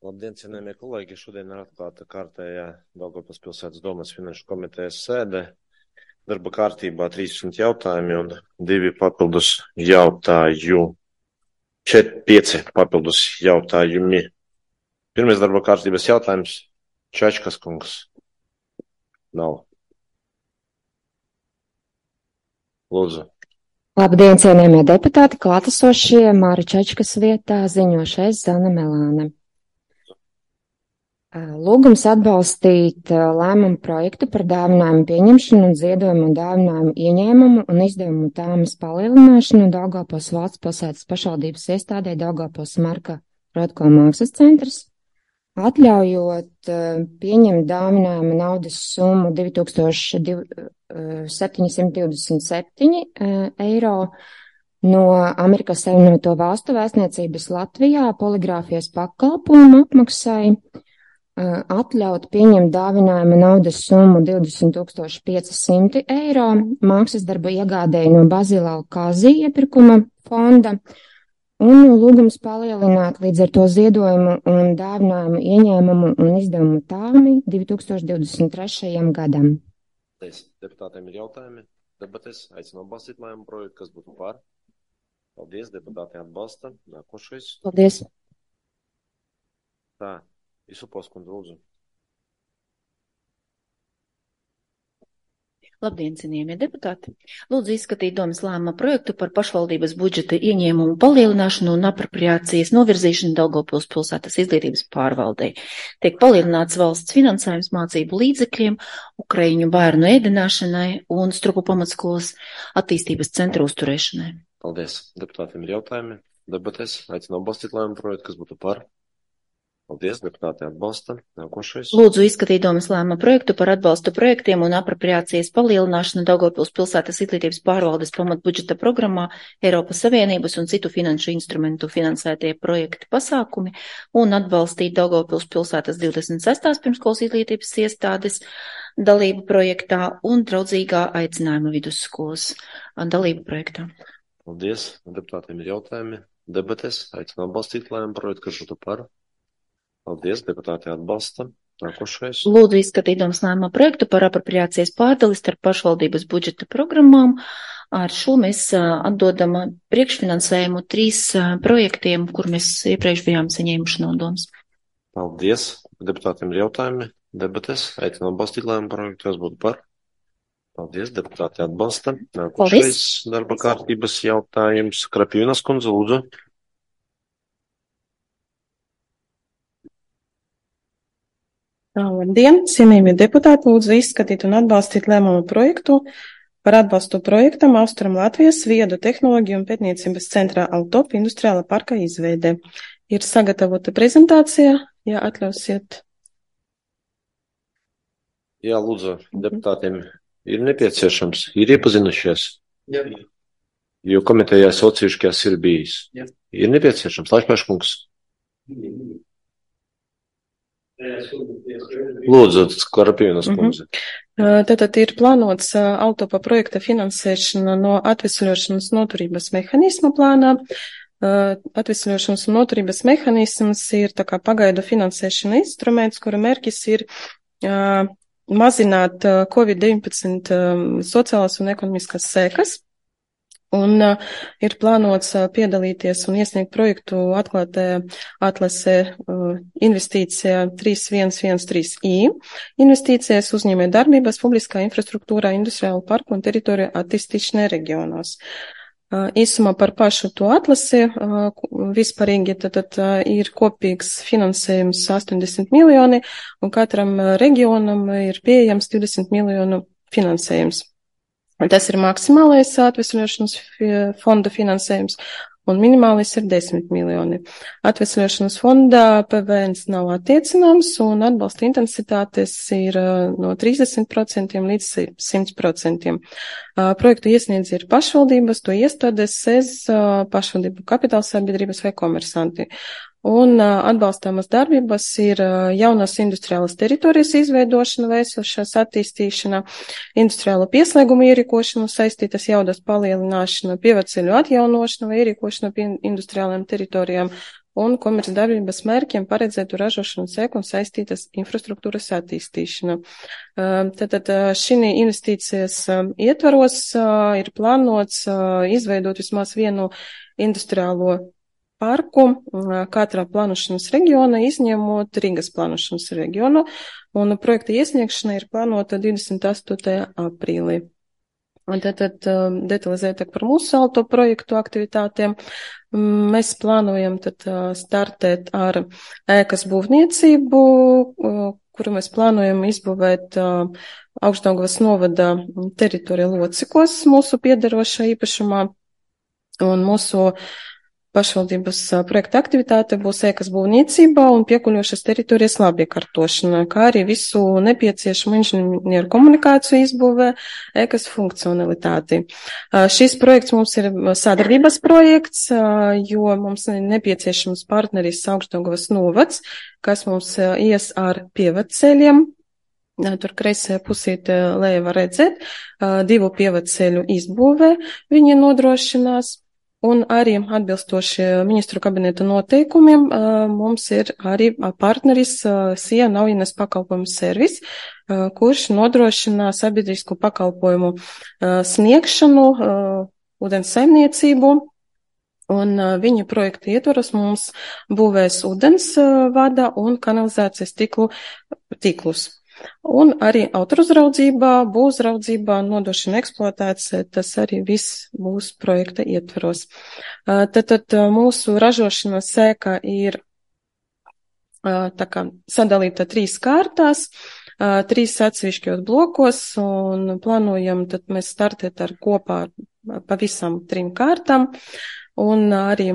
Labdien, cienējamie kolēģi! Šodien ir atklāta kārtējā Daugavpils pilsētas domes finanšu komitejas sēde. Darba kārtībā 13 jautājumi un 5 papildus jautājumi. Pirmais darba kārtības jautājums - Čačkas kungs. Nav. Lūdzu. Labdien, cienījamie deputāti, klātesošie, Māra Čačkas vietā ziņošais Zana Melāne. Lūgums atbalstīt lēmumu projektu par dāvinājumu pieņemšanu un ziedojumu un dāvinājumu ieņēmumu un izdevumu tāmas palielināšanu Daugavpils valsts pilsētas pašvaldības iestādē Daugavpils Marka Rotko mākslas centrs, atļaujot pieņemt dāvinājumu naudas summu 2727 eiro no Amerikas Savienoto Valstu vēstniecības Latvijā poligrāfijas pakalpojumu apmaksai, atļaut pieņemt dāvinājumu naudas summu 20 500 eiro mākslas darbu iegādēji no Bazila Alkāzī iepirkuma fonda un lūgums palielināt līdz ar to ziedojumu un dāvinājumu ieņēmumu un izdevumu tāmi 2023. gadam. Deputātiem ir jautājumi, debates, aicinu atbalstīt lēmumu projektu, kas būtu par. Paldies, deputāti atbalsta. Nākošais. Paldies. Tā. Isupos kundze, lūdzu. Labdien, cienījamie deputāti! Lūdzu izskatīt domes lēmuma projektu par pašvaldības budžeta ieņēmumu palielināšanu un apropriācijas novirzīšanu Daugavpils pilsētas izglītības pārvaldei. Tiek palielināts valsts finansējums mācību līdzekļiem, Ukraiņu bērnu ēdināšanai un Strupu pamatskolas attīstības centra uzturēšanai. Paldies. Deputātiem ir jautājumi, debates, aicinu atbalstīt lēmumu projektu, kas būtu par. Paldies, deputāti atbalsta. Nākošais. Lūdzu izskatīt domes lēmuma projektu par atbalstu projektiem un apropriācijas palielināšanu Daugavpils pilsētas izglītības pārvaldes pamatbudžeta programmā Eiropas Savienības un citu finanšu instrumentu finansētie projekti pasākumi un atbalstīt Daugavpils pilsētas 26. pirmskolas izglītības iestādes dalību projektā un draudzīgā aicinājuma vidusskolas dalību projektā. Paldies. Deputātiem ir jautājumi, debates, aicinu atbalstīt lēmumu projektu, kas būtu par. Paldies, deputāti atbalsta. Nākošais. Lūdzu izskatīt domes lēmuma projektu par apropriācijas pārdali starp pašvaldības budžeta programmām. Ar šo mēs atdodam priekšfinansējumu 3 projektiem, kur mēs iepriekš bijām saņēmuši no domes. Paldies. Deputātiem ir jautājumi, debates, aicinu atbalstīt lēmumu projektu, kas būtu par. Paldies, deputāti atbalsta. Nākošais darba kārtības jautājums. Krapīnas kundze, lūdzu. Labdien, cienījamie deputāti, lūdzu izskatīt un atbalstīt lēmumu projektu par atbalstu projektam Austrum Latvijas viedu tehnoloģiju un pētniecības centrā Altop industriāla parka izveide. Ir sagatavota prezentācija, ja atļausiet. Jā, lūdzu, deputātiem ir nepieciešams, ir iepazinušies, jo komitejā socijuši, kas ir bijis. Ir nepieciešams, Laišpēškungs. Lūdzu, Skarpīnas kundze. Tātad ir plānots Altopa projekta finansēšana no atvesļošanas noturības mehānisma plānā. Atvesļošanas un noturības mehānisms ir tā kā pagaidu finansēšana instruments, kura mērķis ir mazināt COVID-19 sociālās un ekonomiskās sekas. Un ir plānots piedalīties un iesniegt projektu atklātajā atlasē investīcijā 3113I, investīcijas uzņēmē darbības publiskā infrastruktūrā, industriālu parku un teritoriju attīstīšanai reģionos. Īsumā par pašu to atlasi vispārīgi tad ir kopīgs finansējums 80 miljoni un katram reģionam ir pieejams 20 miljonu finansējums. Tas ir maksimālais atvesļošanas fonda finansējums un minimālais ir 10 miljoni. Atvesļošanas fondā PVNs nav attiecināms un atbalsta intensitātes ir no 30% līdz 100%. Projektu iesniedz ir pašvaldības, to iestādes, pašvaldību kapitālsabiedrības vai komersanti. Un atbalstāmas darbības ir jaunas industriālas teritorijas izveidošana vai esošās attīstīšana, industriāla pieslēguma ierīkošana, saistītas jaudas palielināšana, pieveceļu atjaunošana vai ierīkošana pie industriālajām teritorijām, un komercdarbības mērķiem paredzētu ražošanu sēklu un saistītas infrastruktūras attīstīšana. Tātad šī investīcijas ietvaros ir plānots izveidot vismaz vienu industriālo parku katrā plānošanas reģiona, izņemot Rīgas plānošanas reģionu, un projekta iesniegšana ir plānota 28. aprīlī. Un tātad detalizētāk par mūsu salto projektu aktivitātēm. Mēs plānojam tad startēt ar ēkas būvniecību, kuru mēs plānojam izbūvēt Augšdaugavas novada teritorija Locikos mūsu piederošā īpašumā, un mūsu pašvaldības projekta aktivitāte būs ēkas būvniecībā un piekuļošas teritorijas labiekārtošana, kā arī visu nepieciešamu inženieru komunikāciju izbūvē, ēkas funkcionalitāti. Šis projekts mums ir sadarbības projekts, jo mums nepieciešams partneris Augšdaugavas novads, kas mums ies ar pievedceļiem. Tur kreisajā pusītē leja var redzēt, 2 pievedceļu izbūvē viņi nodrošinās. Un arī atbilstoši ministru kabineta noteikumiem mums ir arī partneris SIA Naujienes pakalpojumu servis, kurš nodrošina sabiedrisku pakalpojumu sniegšanu, ūdens saimniecību. Un viņa projekta ietvaros mums būvēs ūdens vada un kanalizācijas tīklus. Un arī autoruzraudzībā, būvuzraudzībā, nodošana eksploatācija, tas arī viss būs projekta ietvaros. Tad mūsu ražošanas sēka ir tā kā sadalīta 3 kārtās, 3 atsevišķos blokos, un plānojam tad mēs startēt ar kopā pavisam 3 kārtām. Un arī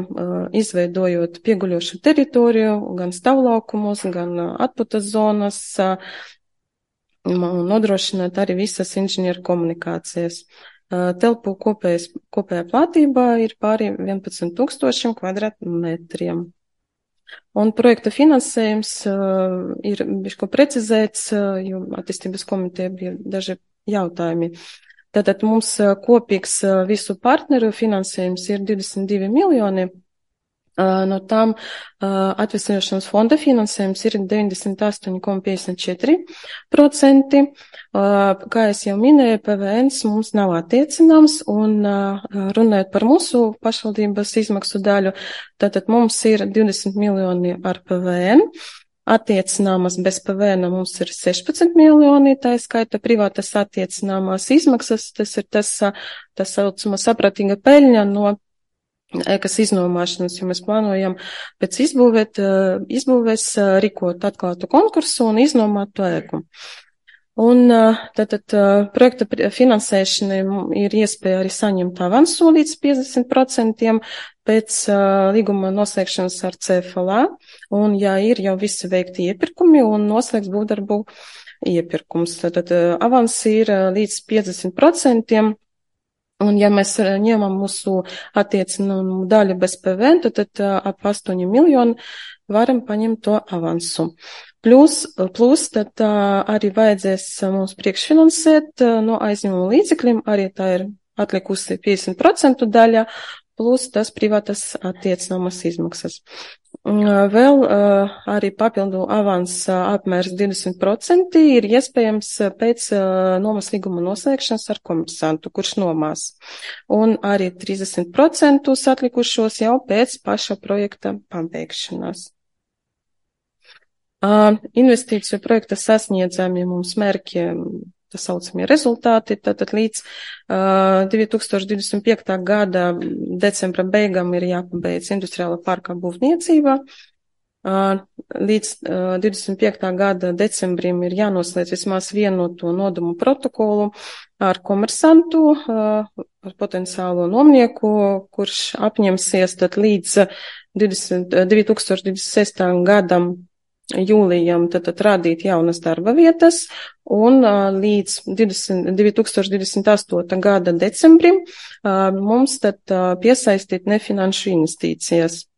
izveidojot pieguļošu teritoriju, gan stāvlaukumus, gan atputas zonas, nodrošināt arī visas inženieru komunikācijas. Telpu kopējā platība ir pāri 11,000 kvadrātmetriem. Un projekta finansējums ir bišķi precizēts, jo attīstības komiteja bija daži jautājumi. Tātad mums kopīgs visu partneru finansējums ir 22 miljoni. No tām atvesļošanas fonda finansējums ir 98,54%. Kā es jau minēju, PVN mums nav attiecināms, un runājot par mūsu pašvaldības izmaksu daļu, tātad mums ir 20 miljoni ar PVN. Attiecināmas bez PVN mums ir 16 miljoni, tā skaita privātas attiecināmās izmaksas, tas ir tas saucamā sapratīga peļņa no ēkas iznomāšanas, jo mēs plānojam pēc izbūvēs rīkot atklātu konkursu un iznomāt to ēku. Un tātad projekta finansēšana ir iespēja arī saņemt avansu līdz 50% pēc līguma noslēgšanas ar CFLA, un ja ir jau visi veikti iepirkumi un noslēgts būvdarbu iepirkums, tātad avans ir līdz 50%. Un ja mēs ņemam mūsu attiecinājumu daļu bez PVN, tad ap 8 miljoni varam paņemt to avansu. Plus tad arī vajadzēs mums priekšfinansēt no aizņēmuma līdzekļiem, arī tā ir atlikusi 50% daļa, plus tas privātas attiecināmas izmaksas. Vēl arī papildu avans apmērs 20% ir iespējams pēc nomas līguma noslēgšanas ar komersantu, kurš nomās. Un arī 30% atlikušos jau pēc paša projekta pabeigšanās. Investīciju projekta sasniedzami mums mērķi, tā saucamie rezultāti, tātad līdz 2025. gada decembra beigām ir jāpabeidz industriāla parka būvniecība. Līdz 25. gada decembrim ir jānoslēdz vismaz vienoto nodomu protokolu ar komersantu, ar potenciālo nomnieku, kurš apņemsies tad līdz 2026. gadam jūlijam tad radīt jaunas darba vietas, un līdz 2028. gada decembrim mums tad piesaistīt nefinanšu investīcijas.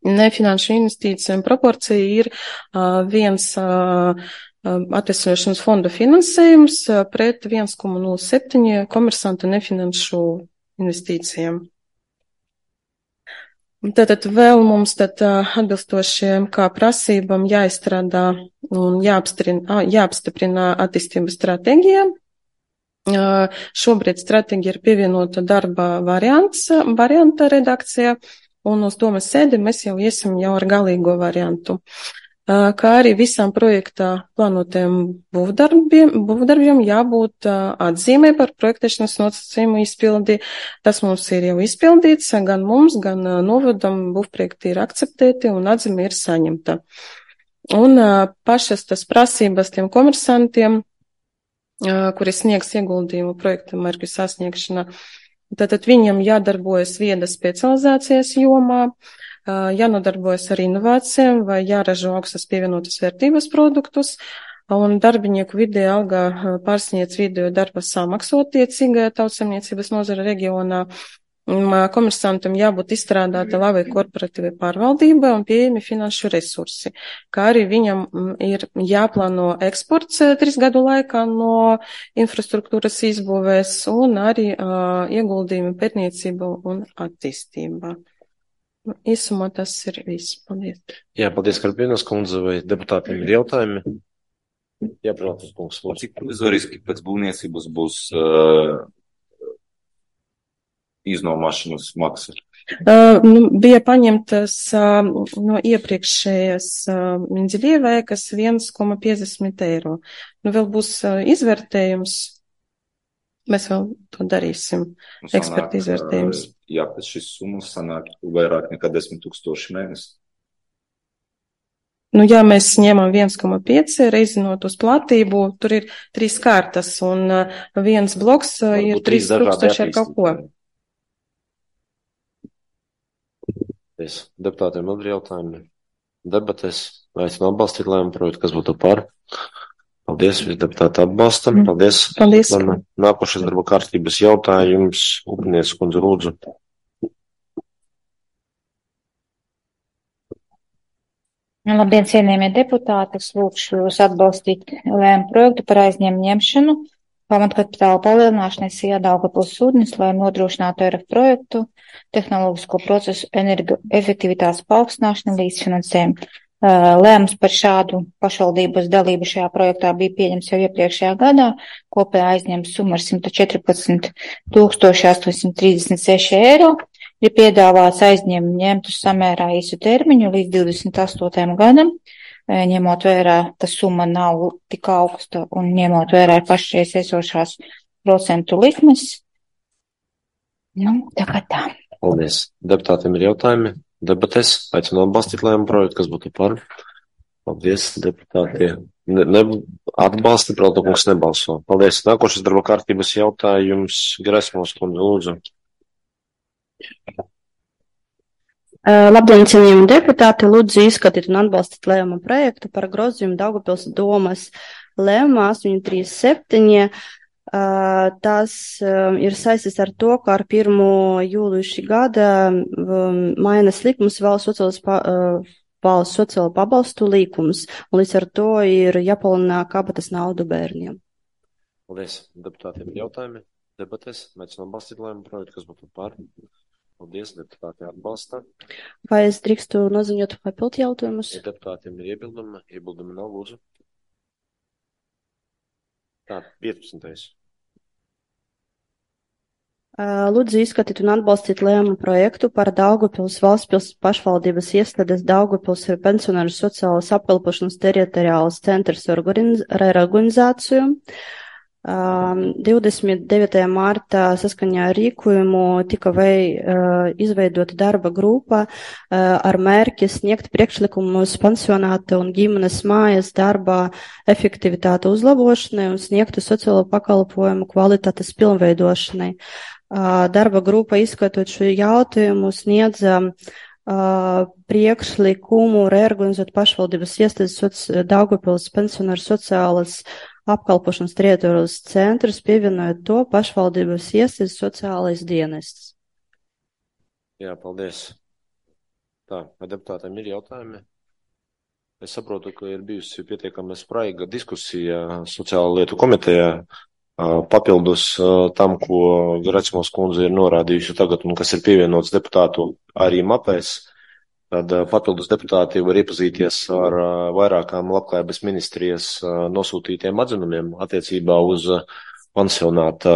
Nefinanšu investīcijām proporcija ir viens atvesļošanas fonda finansējums pret 1,07 komersanta nefinanšu investīcijām. Tātad vēl mums atbilstošiem kā prasībām jāizstrādā un jāapstiprina attīstības stratēģija. Šobrīd stratēģija ir pievienota darba varianta redakcijā, un uz domas sēdi mēs jau iesim jau ar galīgo variantu. Kā arī visām projektā plānotajiem būvdarbiem jābūt atzīmē par projektēšanas nosacījumu izpildi. Tas mums ir jau izpildīts, gan mums, gan novadam būvprojekti ir akceptēti un atzīme ir saņemta. Un pašas tas prasības tiem komersantiem, kuri sniegs ieguldījumu projekta mērķu sasniegšanā, tātad viņam jādarbojas viedas specializācijas jomā, jānodarbojas ar inovācijām vai jāražo augstas pievienotas vērtības produktus, un darbinieku vidēja alga pārsniedz vidējo darba samaksu attiecīgajā tautsaimniecības nozara reģionā. Komersantam jābūt izstrādāta labai korporatīvai pārvaldībai un pieejami finanšu resursi, kā arī viņam ir jāplāno eksports 3 gadu laikā no infrastruktūras izbūvēs un arī ieguldījumi pētniecību un attīstībā. Īsumā tas ir viss. Paldies. Jā, paldies, Karpīnas kundze, vai deputātiem ir jautājumi? Jā, protams, kungs. Cik provizoriski pēc būvniecības būs iznomāšanas maksa? Bija paņemtas no iepriekšējas Mindzeļievēkas 1,50 eiro. Vēl būs izvērtējums. Mēs vēl to darīsim. Eksperti izvērtējums. Jā, pēc šis summas sanāk vairāk nekā 10 000 mēnesi. Ja mēs ņemam 1,5 reizinot uz platību, tur ir 3 kārtas un viens bloks ir 3000 ar kaut ko. Deputātiem vēl ir jautājumi. Debatēs aicinu atbalstīt lēmumu projektu, kas būtu par. Paldies, deputāti atbalstam. Paldies. Paldies. Nākošais darba kārtības jautājums. Upinieks kundze, lūdzu. Labdien, cienījamie deputāti. Es lūkšu jūs atbalstīt lēmumu projektu par aizņēmumu ņemšanu, pamatkapitāla palielināšanai SIA Daugavpils ūdens, lai nodrošinātu ERF projektu, tehnoloģisko procesu energoefektivitātes paaugstināšanu līdzfinansējumu. Lēmums par šādu pašvaldības dalību šajā projektā bija pieņemts jau iepriekšējā gadā. Kopējā aizņēmuma summa ir 114 836 eiro. Ir piedāvāts aizņēmumu ņemt uz samērā īsu termiņu līdz 28. gadam. Ņemot vērā, ka summa nav tik augsta un ņemot vērā pašreiz esošās procentu likmes. Tagad tā. Paldies. Deputātiem ir jautājumi. Debatēs aicinu atbalstīt lēmumu projektu, kas būtu par. Paldies, deputāti. Atbalsti, protokungs nebalso. Paldies. Nākošais darba kārtības jautājums. Gresmos kundze, lūdzu. Labdien, cienījami deputāti. Lūdzu izskatīt un atbalstīt lēmumu projektu par grozījumu Daugavpils domas lēmumā 837. Tas ir saistīts ar to, ka ar 1. jūliju šī gada mainas likums valsts sociālo pabalstu likums, un līdz ar to ir jāpalielina kabatas naudu bērniem. Paldies. Deputātiem ir jautājumi. Debatēs aicinu atbalstīt lēmumu projektu, kas būtu par. Paldies, deputāti atbalsta. Vai es drīkstu noziņot papildu jautājumus? Ja deputātiem ir iebildumi, iebildumi nav, lūdzu. Tā, 15. Lūdzu izskatīt un atbalstīt lēmumu projektu par Daugavpils valsts pašvaldības iestādes Daugavpils ir pensionāru sociālas apkalpošanas teritoriālas centrs reorganizāciju. 29. martā saskaņā ar rīkojumu tika izveidota darba grupa ar mērķi sniegt priekšlikumus pensionāta un ģimenes mājas darba efektivitāte uzlabošanai un sniegtu sociālo pakalpojumu kvalitātes pilnveidošanai. Darba grupa izskatot šo jautājumu sniedza priekšlikumu reorganizēt pašvaldības iestādes Daugavpils pensionāru sociālas apkalpošanas teritorijas centrus, pievienojot to pašvaldības iestādes sociālais dienests. Jā, paldies. Tā, vai deputātiem ir jautājumi? Es saprotu, ka ir bijusi pietiekami spraiga diskusija sociālo lietu komitejā Papildus tam, ko Gracmos kundze ir norādījusi tagad un kas ir pievienots deputātu arī mapēs, tad papildus deputāti var iepazīties ar vairākām labklājības ministrijas nosūtītiem atzinumiem attiecībā uz pansionāta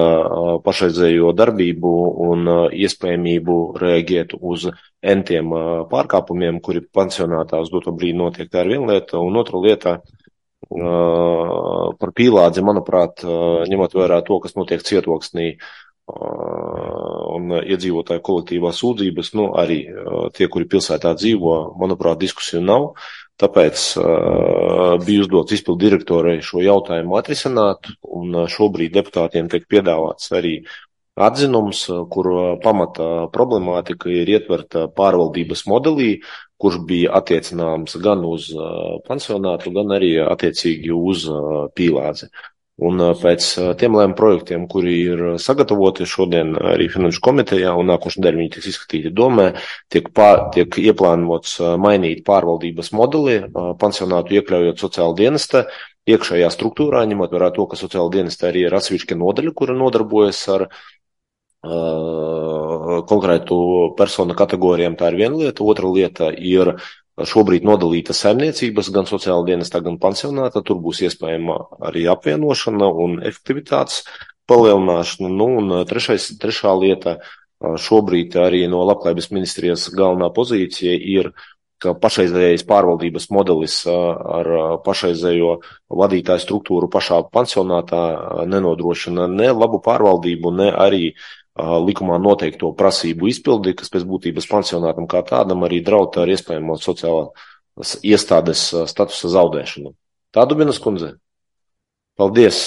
pašreizējo darbību un iespējamību reaģēt uz entiem pārkāpumiem, kuri pansionātā uz doto brīdi notiek. Tā ir viena lieta, un otra lieta par pīlādzi, manuprāt, ņemot vērā to, kas notiek cietoksnī un iedzīvotāju kolektīvās sūdzības, arī tie, kuri pilsētā dzīvo, manuprāt, diskusiju nav. Tāpēc bija uzdots izpildu direktorai šo jautājumu atrisināt, un šobrīd deputātiem tiek piedāvāts arī atzinums, kur pamata problemātika ir ietverta pārvaldības modelī, kurš bija attiecināms gan uz pansionātu, gan arī attiecīgi uz pīlādzi. Un pēc tiem lēmumu projektiem, kuri ir sagatavoti šodien arī Finanšu komitejā un nākošais nedēļa viņi tiks izskatīti domē, tiek ieplānots mainīt pārvaldības modeli, pansionātu iekļaujot sociāla dienesta iekšējā struktūrā, ņemot vērā to, ka sociāla dienesta arī ir atsevišķa nodaļa, kura nodarbojas ar konkrētu personu kategorijām. Tā ir viena lieta. Otra lieta ir šobrīd nodalīta saimniecības, gan sociāla dienestā, gan pansionātā. Tur būs iespējama arī apvienošana un efektivitātes palielināšana. Un trešā lieta, šobrīd arī no labklājības ministrijas galvenā pozīcija ir, ka pašreizējais pārvaldības modelis ar pašreizējo vadītāju struktūru pašā pansionātā nenodrošina ne labu pārvaldību, ne arī likumā noteikto prasību izpildi, kas pēc būtības pansionātam kā tādam arī draud ar iespējamo sociālās iestādes statusa zaudēšanu. Tā, Dubinas kundze? Paldies.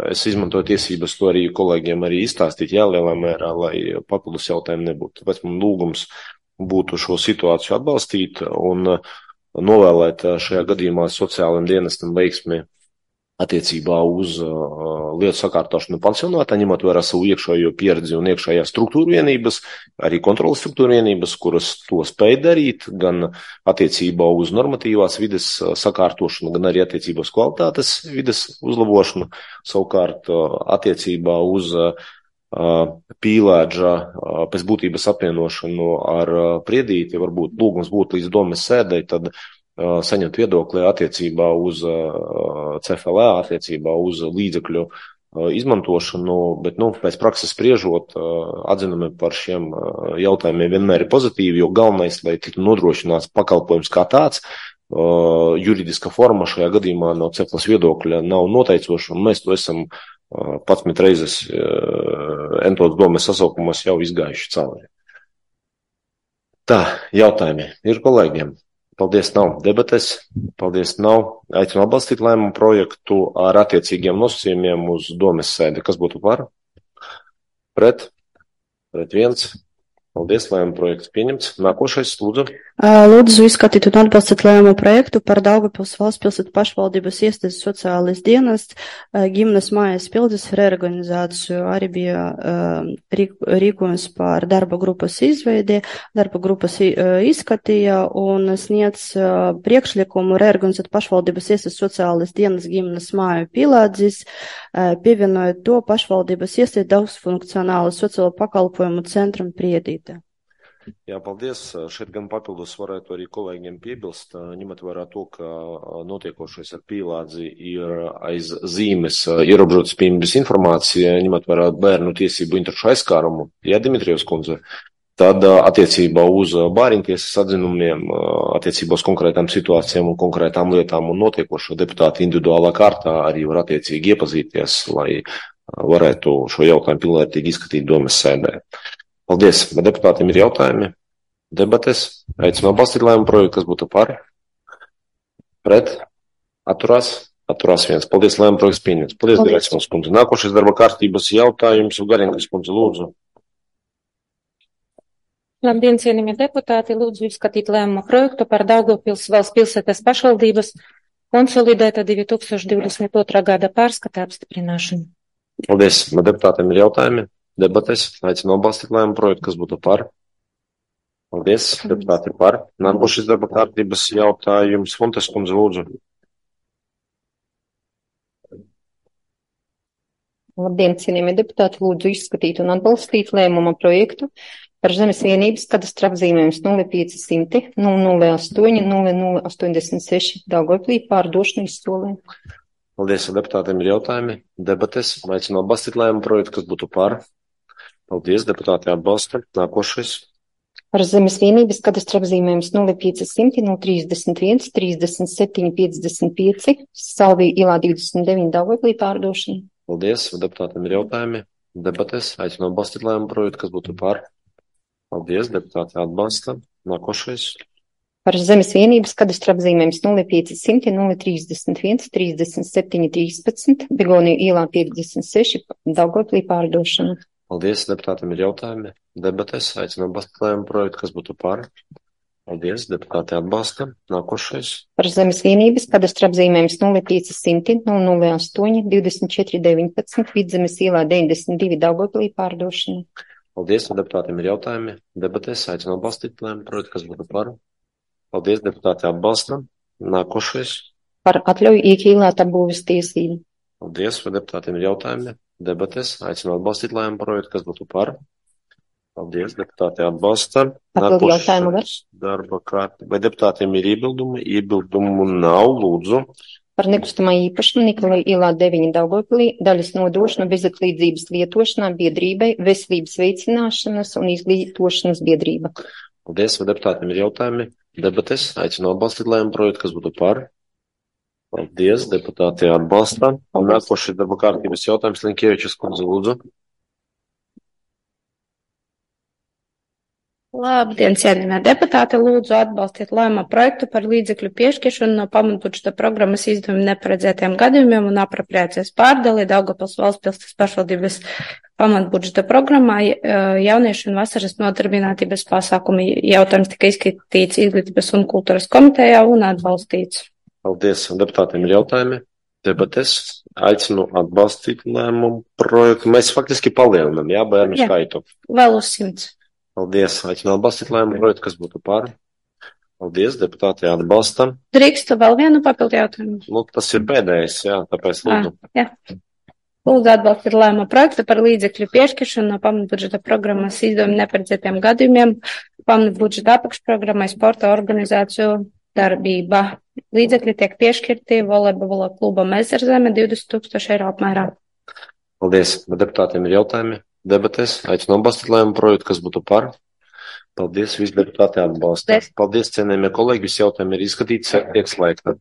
Es izmantoju tiesības to arī kolēģiem arī izstāstīt, lielā mērā, lai papildus jautājumu nebūtu. Tāpēc man lūgums būtu šo situāciju atbalstīt un novēlēt šajā gadījumā sociālajiem dienestam veiksmi attiecībā uz lietu sakārtošanu pansionātā, ņemot vērā savu iekšējo pieredzi un iekšējā struktūra vienības, arī kontrolas struktūra vienības, kuras to spēj darīt, gan attiecībā uz normatīvās vides sakārtošanu, gan arī attiecībā uz kvalitātes vides uzlabošanu, savukārt attiecībā uz pīlēdža pēc būtības apvienošanu ar priedīti, varbūt lūgums būtu līdz domes sēdei, tad saņemt viedokli attiecībā uz CFLA, attiecībā uz līdzekļu izmantošanu, bet, pēc prakses spriežot, atzinumi par šiem jautājumiem vienmēr ir pozitīvi, jo galvenais, lai tiktu nodrošināts pakalpojums kā tāds, juridiska forma šajā gadījumā no CFLAS viedokļa nav noteicoša, un mēs to esam 11 reizes entos domes sasaukumos jau izgājuši cauri. Tā, jautājumi ir kolēģiem. Paldies, nav debates. Paldies, nav. Aicinu atbalstīt lēmumu projektu ar attiecīgiem nosacījumiem uz domes sēdi. Kas būtu par? Pret? Pret 1. Paldies, lēmumu projekts pieņemts. Nākošais, lūdzu. Lūdzu izskatīt un atbalstīt lēmumu projektu par Daugavpils valsts pilsētu pašvaldības iestādes sociālais dienests, ģimenes mājas pildes reorganizāciju. Arī bija rīkojums par darba grupas izveidi. Darba grupas izskatīja un sniedz priekšlikumu reorganizēt pašvaldības iestādes sociālais dienests ģimenes māju Pīlādzis, pievienojot to pašvaldības iestādi daudzfunkcionālu sociālo pakalpojumu centram Priedīte. Jā, paldies. Šeit gan papildus varētu arī kolēģiem piebilst, ņemot vērā to, ka notiekošais ar Pīlādzi ir aiz zīmes ierobežotas pieejamības informācija, ņemot vērā bērnu tiesību interešu aizskārumu. Jā, Dimitrijevs kundze. Tad attiecībā uz bāriņtiesas atzinumiem, attiecībā uz konkrētām situācijām un konkrētām lietām un notiekošo deputāti individuālā kārtā arī var attiecīgi iepazīties, lai varētu šo jautājumu pilnvērtīgi izskatīt domes sēdē. Paldies. Vai deputātiem ir jautājumi? Debates. Aicinu atbalstīt lēmumu projektu, kas būtu par? Pret? Atturās? Atturās 1. Paldies, lēmumu projekts pieņemts. Paldies, Gracmos kundze. Nākošais darba kārtības jautājums. Garinkas kundze, lūdzu. Labdien, cienījamie deputāti, lūdzu izskatīt lēmumu projektu par Daugavpils valsts pilsētas pašvaldības konsolidēta 2022. gada pārskata apstiprināšanu. Paldies. Vai deputātiem ir jautājumi? Debates. Aicinu atbalstīt lēmumu projektu, kas būtu par. Paldies. Deputāti ir par. Nākošais darba kārtības jautājums. Fontes kundze, lūdzu. Labdien, cienījamie deputāti, lūdzu izskatīt un atbalstīt lēmuma projektu par zemes vienības kadastra apzīmējums 0500 008 0086 Daugavpilī pārdošanu izsolē. Paldies, deputātiem ir jautājumi, debates. Aicinu atbalstīt lēmumu projektu, kas būtu par. Paldies, deputāti atbalsta. Nākošais. Par zemes vienības kadastra apzīmējums 0500 031 37 55 Salvija ielā 29 Daugavpilī pārdošana. Paldies, deputātiem ir jautājumi, debates. Aicinu atbalstīt lēmumu projektu, kas būtu par. Paldies, deputāti atbalsta. Nākošais. Par zemes vienības kadastra apzīmējums 0500 031 37 13 Begoniju ielā 56 Daugavpilī pārdošana. Paldies, deputātiem ir jautājumi, debates. Aicinu atbalstīt lēmumu projektu, kas būtu par. Paldies, deputāti atbalsta. Nākošais. Par zemes vienības kadastra apzīmējums 0500 008 24 19 Vidzemes ielā 92 Daugavpilī pārdošana. Paldies, deputātiem ir jautājumi, debates. Aicinu atbalstīt lēmumu projektu, kas būtu par. Paldies, deputāti atbalsta. Nākošais. Par atļauju iekīlēt apbūves tiesību. Paldies, deputātiem ir jautājumi, debates. Aicinu atbalstīt lēmumu projektu, kas būtu par. Paldies, deputāti atbalsta. Papildu jautājumu var? Darba kārtība. Vai deputātiem ir iebildumi? Iebildumu nav, lūdzu. Par nekustamā īpašumu Nikolai ielā 9 Daugavpilī daļas nodošanu bezatlīdzības lietošanā biedrībai veselības veicināšanas un izglītošanas biedrība. Paldies, vai deputātiem ir jautājumi? Debates. Aicinu atbalstīt lēmumu projektu, kas būtu par. Paldies, deputāti atbalsta. Un nākošais darba kārtības jautājums Linkievičas kundze, lūdzu. Labdien, cienījamie deputāti, lūdzu atbalstiet lēmuma projektu par līdzekļu piešķiršanu no pamatbudžeta programmas izdevuma neparedzētiem gadījumiem un apropriācijas pārdali Daugavpils valsts pilsētas pašvaldības pamatbudžeta programmā jauniešu un vasaras nodarbinātības pasākumi. Jautājums tika izskatīts Izglītības un kultūras komitejā un atbalstīts. Paldies, deputātiem ir jautājumi. Debates. Aicinu atbalstīt lēmumu projektu. Mēs faktiski palielinam, bērnu skaitu. Vēl uz 100. Paldies. Aicinu atbalstīt lēmumu projektu, kas būtu par. Paldies, deputāti atbalsta. Drīkstu vēl vienu papildu jautājumu? Tas ir pēdējais, tāpēc lūdzu. Lūdzu atbalstīt lēmuma projektu par līdzekļu piešķiršanu no pamatbudžeta programmas izdevuma neparedzētiem gadījumiem pamatbudžeta apakšprogrammai sporta organizāciju darbība. Līdzekļi tiek piešķirti volejbola klubam Ezerzeme 20 000 eiro apmērā. Paldies. Deputātiem ir jautājumi, debates. Aicinu atbalstīt lēmumu projektu, kas būtu par. Paldies, visi deputāti atbalsta. Paldies, cienījamie kolēģi, visi jautājumi ir izskatīti, tiek slēgta.